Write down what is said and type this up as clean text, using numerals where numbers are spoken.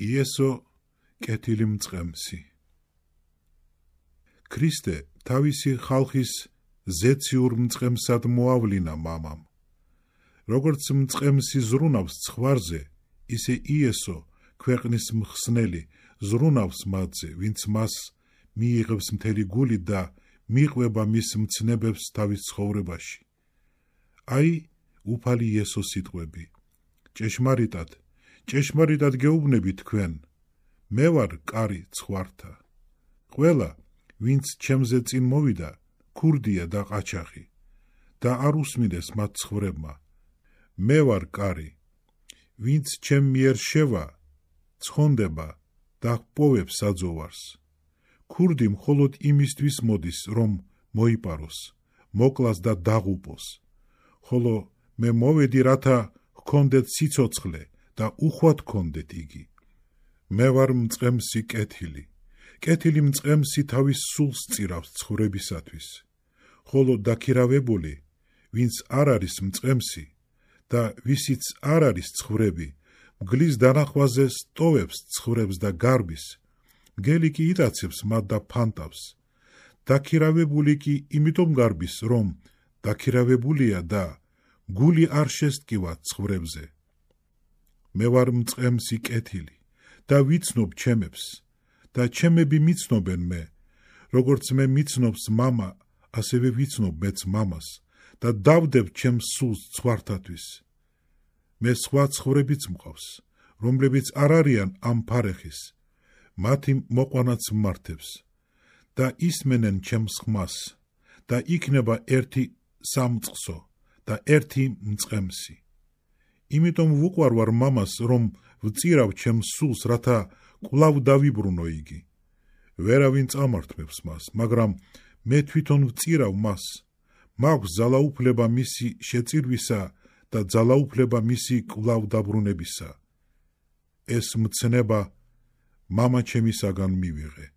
იესო კეთილი მწყემსი. ქრისტე თავისი ხალხის ზეციურ მწყემსად მოავლინა მამამ. როგორც მწყემსი ზრუნავს ცხვარზე, ისე იესო ქვეყნის მხსნელი ზრუნავს მათზე, ვინც მას მიიღებს მთელი გულით და მიყვება მის მცნებებს თავის ცხოვრებაში. აი, უფალი იესოს სიტყვები. ჭეშმარიტად გეუბნები თქვენ, მე ვარ კარი ცხვართა. ყველა, ვინც ჩემზე წინ მოვიდა, ქურდია და ყაჩაღი და არ უსმინდეს მათ ცხვრებმა. მე ვარ კარი, ვინც ჩემ მიერ შევა, ცხონდება და პოვებს საძოვარს. ქურდი მხოლოდ იმისთვის მოდის, რომ მოიპაროს, მოკლას და დაღუპოს, ხოლო მე მოვედი, რათა ჰქონდეთ სიცოცხლე და უხვად ჰქონდეთ იგი. მე ვარ მწყემსი კეთილი. კეთილი მწყემსი თავის სულს წირავს ცხვრებისათვის, ხოლო დაქირავებული, ვინც არ არის მწყემსი და ვისიც არ არის ცხვრები, მგლის დანახვაზე სტოვებს ცხვრებს და გარბის, მგელი კი იტაცებს მათ და ფანტავს. დაქირავებული კი იმიტომ გარბის, რომ დაქირავებულია და გული არ შესტკივა ცხვრებზე. მე ვარ მწყემსი კეთილი და ვიცნობ ჩემებს და ჩემები მიცნობენ მე, როგორც მე მიცნობს მამა, ასევე ვიცნობ მეც მამას და დავდებ ჩემს სულს ცხვართათვის. მე სხვა ცხვრებიც მყავს, რომლებიც არ არიან ამ ფარეხის, მათი მოყვანაც მმართებს და ისმენენ ჩემს ხმას და იქნება ერთი სამწყსო და ერთი მწყემსი. იმიტომ ვუყვარვარ მამას, რომ ვწირავ ჩემს სულს, რათა კვლავ დავიბრუნო იგი. ვერავინ წამართმევს მას, მაგრამ მე თვითონ ვწირავ მას. მაქვს ძალაუფლება მისი შეწირვისა და ძალაუფლება მისი კვლავ დაბრუნებისა. ეს მცნება მამა ჩემისაგან მივიღე.